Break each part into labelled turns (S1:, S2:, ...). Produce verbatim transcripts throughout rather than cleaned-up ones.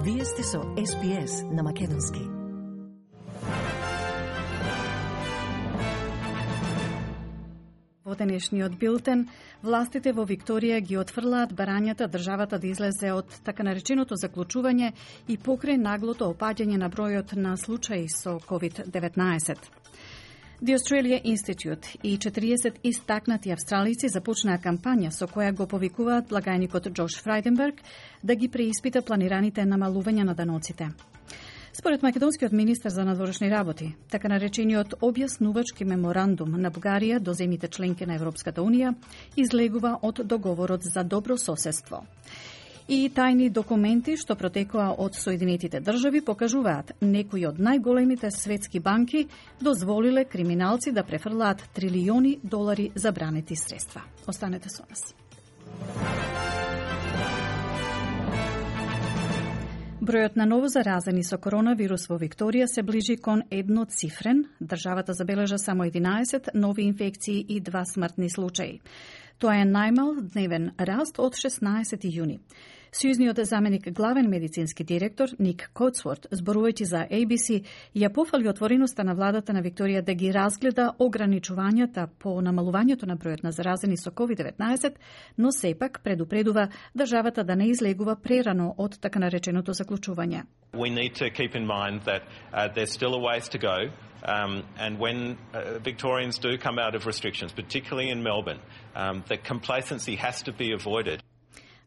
S1: Вие сте со Ес Би Ес на Македонски.
S2: Во денешниот билтен, властите во Викторија ги отфрлаат барањата државата да излезе од така нареченото заклучување и покрај наглото опаѓање на бројот на случаи со ковид деветнаесет. The Australia Institute и четириесет истакнати австралици започнаа кампања со која го повикуваат благајникот Џош Фрајденберг да ги преиспита планираните намалувања на даноците. Според македонскиот министар за надворешни работи, така наречениот објаснувачки меморандум на Бугарија до земјите членки на Европската Унија излегува од договорот за добро соседство. И тајни документи што протекоа од Соединетите држави покажуваат некои од најголемите светски банки дозволиле криминалци да префрлаат трилиони долари забранети средства. Останете со нас. Бројот на новозаразени со коронавирус во Викторија се ближи кон едноцифрен. Државата забележа само единаесет нови инфекции и два смртни случаи. Тоа е најмал дневен раст од шеснаесети јуни. Сјузниот заменик главен медицински директор Ник Коцворт, зборувајќи за Ей Би Си, ја пофали отвореноста на владата на Викторија да ги разгледа ограничувањата по намалувањето на бројот на заразени со ковид деветнаесет, но сепак предупредува државата да не излегува прерано од така нареченото заклучување.
S3: We need to keep in mind that uh, there's still a ways to go. Um, and when uh, Victorians do come out of restrictions, particularly in Melbourne, um, that complacency has to be avoided.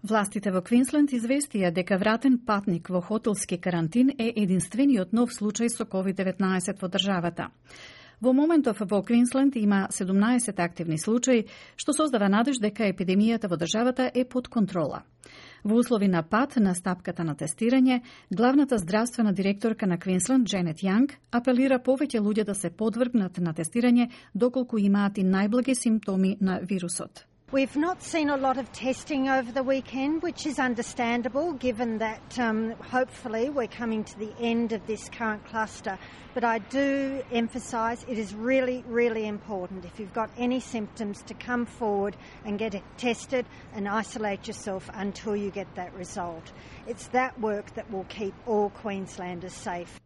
S2: Властите во Квинсленд известија дека вратен патник во хотелски карантин е единствениот нов случај со ковид деветнаесет во државата. Во моментов во Квинсленд има седумнаесет активни случаи, што создава надеж дека епидемијата во државата е под контрола. Во услови на пат на стапката на тестирање, главната здравствена директорка на Квинсленд, Дженет Јанг, апелира повеќе луѓе да се подвргнат на тестирање доколку имаат и најблаги симптоми на вирусот.
S4: We've not seen a lot of testing over the weekend, which is understandable given that um, hopefully we're coming to the end of this current cluster. But I do emphasise it is really, really important if you've got any symptoms to come forward and get it tested and isolate yourself until you get that result. It's that work that will keep all Queenslanders safe.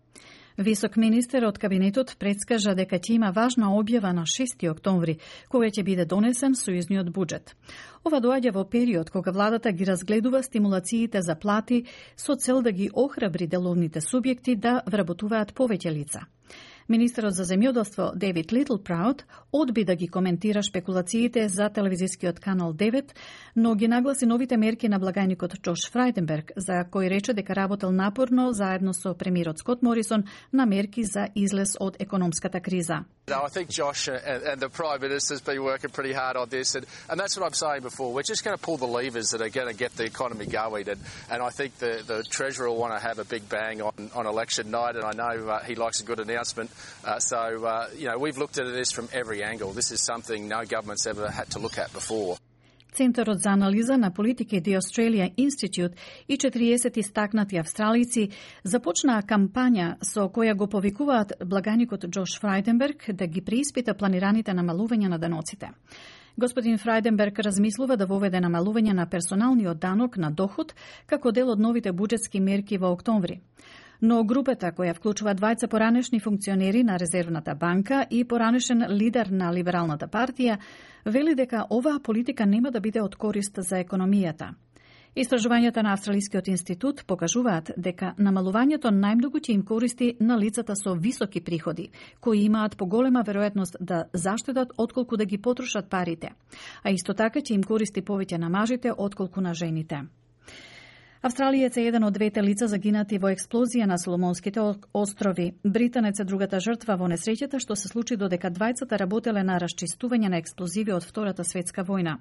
S2: Висок министер од кабинетот предскажа дека ќе има важна објава на шести октомври, кога ќе биде донесен сојузниот буџет. Ова доаѓа во период кога владата ги разгледува стимулациите за плати со цел да ги охрабри деловните субјекти да вработуваат повеќе лица. Министерот за земјоделство Дейвид Литлпраут одби да ги коментира шпекулациите за телевизискиот канал девет, но ги нагласи новите мерки на благајникот Џош Фрајденберг, за кој рече дека работел напорно заедно со премиерот Скот Морисон на мерки за излез од економската криза.
S5: No, I think Josh and, and the Prime Minister's been working pretty hard on this, and, and that's what I'm saying before. We're just going to pull the levers that are going to get the economy going, and, and I think the, the Treasurer will want to have a big bang on, on election night, and I know uh, he likes a good announcement. Uh, so, uh, you know, we've looked at this from every angle. This is something no government's ever had to look at before.
S2: Центарот за анализа на политики The Australia Institute и четириесет истакнати австралици започнаа кампања со која го повикуваат благајникот Џош Фрајденберг да ги преиспита планираните намалувања на даноците. Господин Фрајденберг размислува да воведе намалување на персоналниот данок на доход како дел од новите буџетски мерки во октомври. Но групата која вклучува двајца поранешни функционери на Резервната банка и поранешен лидер на Либералната партија вели дека оваа политика нема да биде од корист за економијата. Истражувањата на Австралискиот институт покажуваат дека намалувањето најмногу ќе им користи на лицата со високи приходи, кои имаат поголема веројатност да заштедат отколку да ги потрошат парите, а исто така ќе им користи повеќе на мажите отколку на жените. Австралиец е еден од двете лица загинати во експлозија на Соломонските острови. Британец е другата жртва во несреќата што се случи додека двајцата работеле на расчистување на експлозиви од Втората светска војна.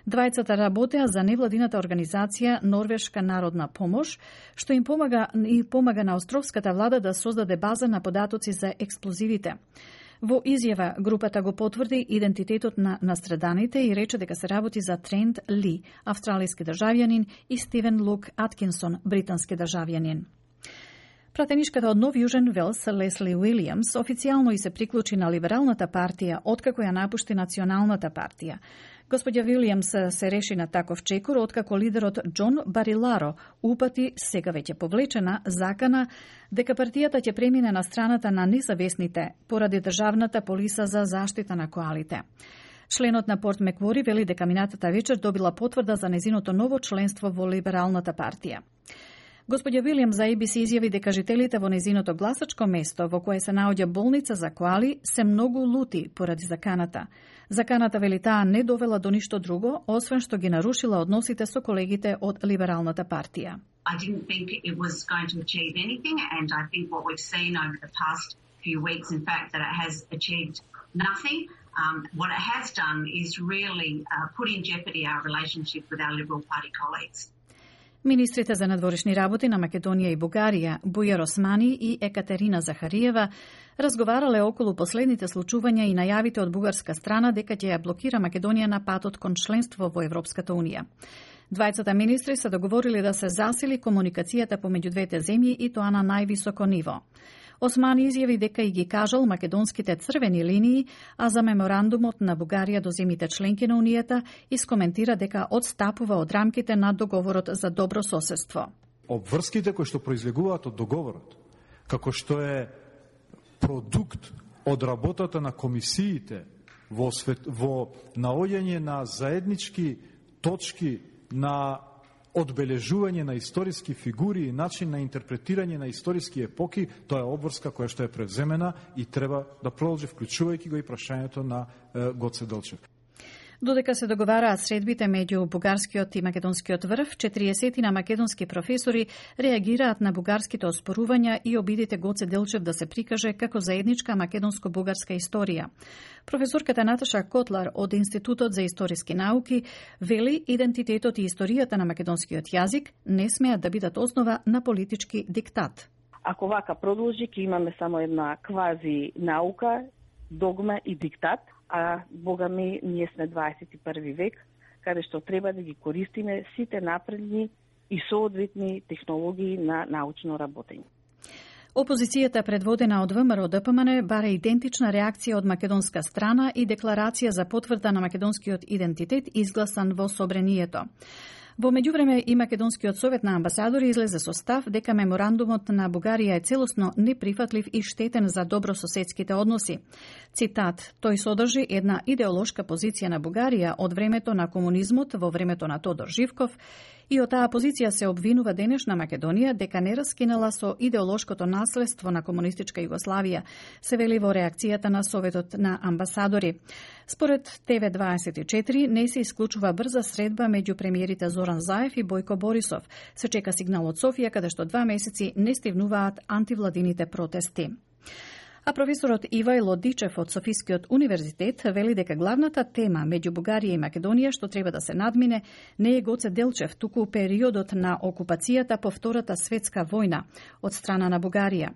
S2: Двајцата работеа за невладината организација Норвешка народна помош, што им помага и помага на островската влада да создаде база на податоци за експлозивите. Во изјава, групата го потврди идентитетот на настраданите и рече дека се работи за Трент Ли, австралиски државјанин, и Стивен Лук Аткинсон, британски државјанин. Пратенишката од Нов Јужен Велс, Лесли Уилијамс, официјално и се приклучи на Либералната партија, откако ја напушти Националната партија. Господја Вилијамс се реши на таков чекор откако лидерот Џон Бариларо упати, сега веќе повлечена, закана дека партијата ќе премине на страната на независните поради државната полиса за заштита на коалите. Членот на Порт Меквори вели дека минатата вечер добила потврда за незиното ново членство во Либералната партија. Господја Вилијам за А Б С изјави дека жителите во незиното гласачко место во кое се наоѓа болница за коали се многу лути поради заканата. Заканата, вели таа, не довела до ништо друго, освен што ги нарушила односите со колегите од Либералната партија.
S6: I didn't think it was going to achieve anything, and I think what we've seen over the past few weeks, in fact, that it has achieved nothing. Um, what it has done is really uh, put in jeopardy our relationship with our Liberal Party colleagues.
S2: Министрите за надворешни работи на Македонија и Бугарија, Бујар Османи и Екатерина Захариева, разговарале околу последните случувања и најавите од бугарска страна дека ќе ја блокира Македонија на патот кон членство во Европската Унија. Двајцата министри се договорили да се засили комуникацијата помеѓу двете земји и тоа на највисоко ниво. Османи изјави дека и ги кажал македонските црвени линии, а за меморандумот на Бугарија до земјите членки на Унијата искоментира дека одстапува од рамките на договорот за добро соседство.
S7: Обврските кои што произлегуваат од договорот, како што е продукт од работата на комисиите во, свет, во наоѓање на заеднички точки на одбележување на историски фигури и начин на интерпретирање на историски епоки, тоа е обврска која што е превземена и треба да продолжи, вклучувајќи го и прашањето на е, Гоце Делчев.
S2: Додека се договараат средбите меѓу бугарскиот и македонскиот врв, четириесет на македонски професори реагираат на бугарските оспорувања и обидите Гоце Делчев да се прикаже како заедничка македонско-бугарска историја. Професорката Наташа Котлар од Институтот за историски науки вели идентитетот и историјата на македонскиот јазик не смеат да бидат основа на политички диктат.
S8: Ако вака продолжи, ќе имаме само една квази наука, догма и диктат, а бога ми, ние сме дваесет и први век, каде што треба да ги користиме сите напредни и соодветни технологии на научно работење.
S2: Опозицијата предводена од ВМРО Д П М Н бара идентична реакција од македонска страна и декларација за потврда на македонскиот идентитет изгласан во собранието. Во меѓувреме и Македонскиот совет на амбасадори излезе со став дека меморандумот на Бугарија е целосно неприфатлив и штетен за добрососедските односи. Цитат: тој содржи една идеолошка позиција на Бугарија од времето на комунизмот во времето на Тодор Живков и од таа позиција се обвинува денешна Македонија дека не раскинала со идеолошкото наследство на комунистичка Југославија, се вели во реакцијата на Советот на амбасадори. Според Т В дваесет и четири не се исклучува брза средба меѓу премиерите Зоран Заев и Бојко Борисов. Се чека сигнал од Софија каде што два месеци не стивнуваат антивладините протести. А професорот Ивајло Дичев од Софискиот универзитет вели дека главната тема меѓу Бугарија и Македонија што треба да се надмине не е Гоце Делчев, туку периодот на окупацијата по Втората светска војна од страна на Бугарија.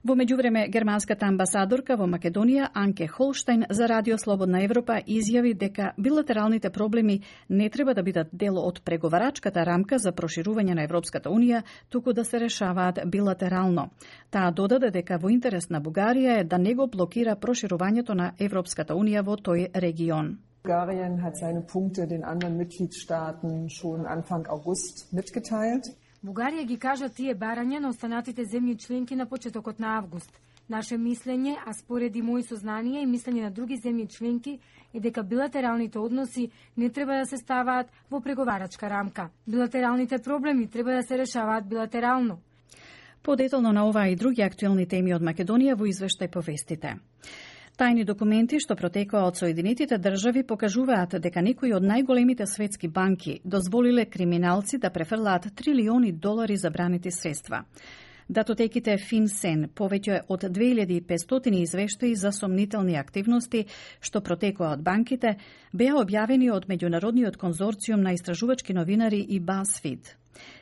S2: Во меѓувреме, германската амбасадорка во Македонија Анке Холштајн за Радио Слободна Европа изјави дека билатералните проблеми не треба да бидат дел од преговарачката рамка за проширување на Европската Унија, туку да се решаваат билатерално. Таа додаде дека во интерес на Бугарија е да не го блокира проширувањето на Европската Унија во тој регион.
S9: Bulgarien hat seine Punkte den anderen Mitgliedstaaten schon Anfang August mitgeteilt.
S10: Бугарија ги кажа тие барања на останатите земји членки на почетокот на август. Наше мислење, а спореди мои сознанија и мислење на други земји членки, е дека билатералните односи не треба да се ставаат во преговарачка рамка. Билатералните проблеми треба да се решаваат билатерално.
S2: Подетално на оваа и други актуелни теми од Македонија во извештај по вестите. Тајни документи што протекоа од Соединетите држави покажуваат дека некои од најголемите светски банки дозволиле криминалци да префрлаат трилиони долари забранети средства. Датотеките FinCEN повеќе од две илјади и петстотини извештаи за сомнителни активности што протекоа од банките беа објавени од меѓународниот конзорциум на истражувачки новинари и BuzzFeed.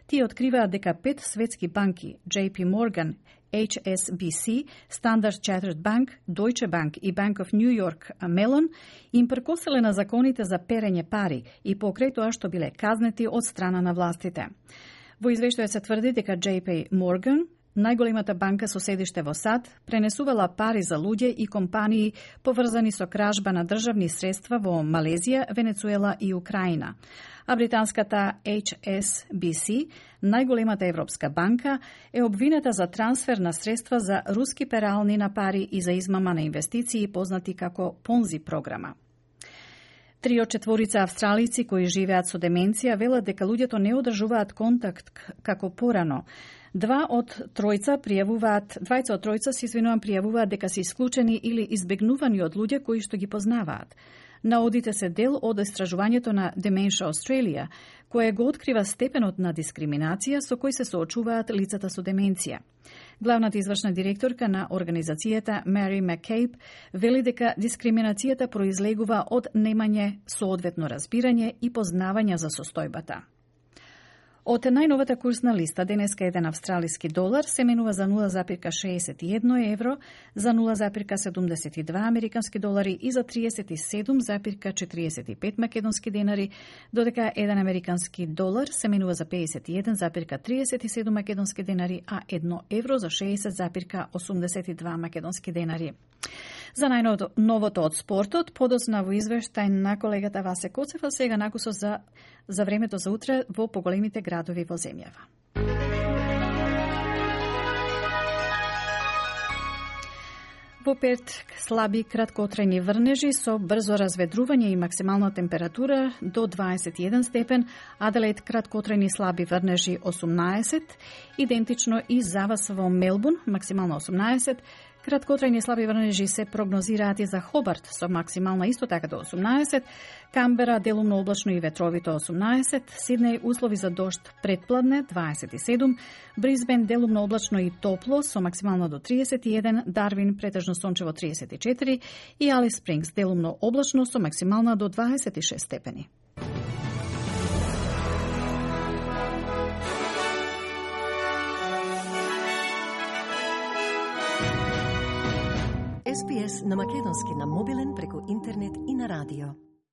S2: Тие откриваат дека пет светски банки J P Morgan, H S B C, Standard Chartered Bank, Deutsche Bank и Bank of New York Mellon им прекоселе на законите за перење пари и покрај тоа што биле казнети од страна на властите. Во извештајот се тврди дека J P Morgan, најголемата банка со седиште во САД, пренесувала пари за луѓе и компании поврзани со кражба на државни средства во Малезија, Венецуела и Украина. А британската Ейч Ес Би Си, најголемата европска банка, е обвината за трансфер на средства за руски перални на пари и за измама на инвестиции, познати како Понзи програма. Три од четворица австралици кои живеат со деменција велат дека луѓето не одржуваат контакт како порано. Два од тројца пријавуваат, двајца од тројца се извинувам пријавуваат дека се исклучени или избегнувани од луѓе кои што ги познаваат. Наодите се дел од истражувањето на Dementia Australia, кое го открива степенот на дискриминација со кој се соочуваат лицата со деменција. Главната извршна директорка на организацијата Мари Маккейб вели дека дискриминацијата произлегува од немање соодветно разбирање и познавање за состојбата. Од најновата курсна листа, денеска еден австралиски долар се менува за нула запирка шеесет и едно евро, за нула запирка седумдесет и два американски долари и за триесет и седум запирка четириесет и пет македонски денари, додека еден американски долар се менува за пеесет и еден запирка триесет и седум македонски денари, а едно евро за шеесет запирка осумдесет и два македонски денари. За најновото од спортот, подоцна во извештај на колегата Васе Коцева, сега накусо за, за времето за утре во поголемите градови во земјава. Во Перт слаби краткотрајни врнежи со брзо разведрување и максимална температура до дваесет и еден степен, Аделаид краткотрајни слаби врнежи осумнаесет, идентично и за вас во Мелбурн максимално осумнаесет, краткотрајни слаби врнежи се прогнозираат и за Хобарт со максимална исто така до осумнаесет, Камбера делумно облачно и ветровито осумнаесет, Сиднеј услови за дожд претпладне дваесет и седум, Брисбен делумно облачно и топло со максимално до триесет и еден, Дарвин претежно сончево триесет и четири и Алис Спрингс делумно облачно со максимална до дваесет и шест степени.
S1: Ес Би Ес на македонски на мобилен преку интернет и на радио.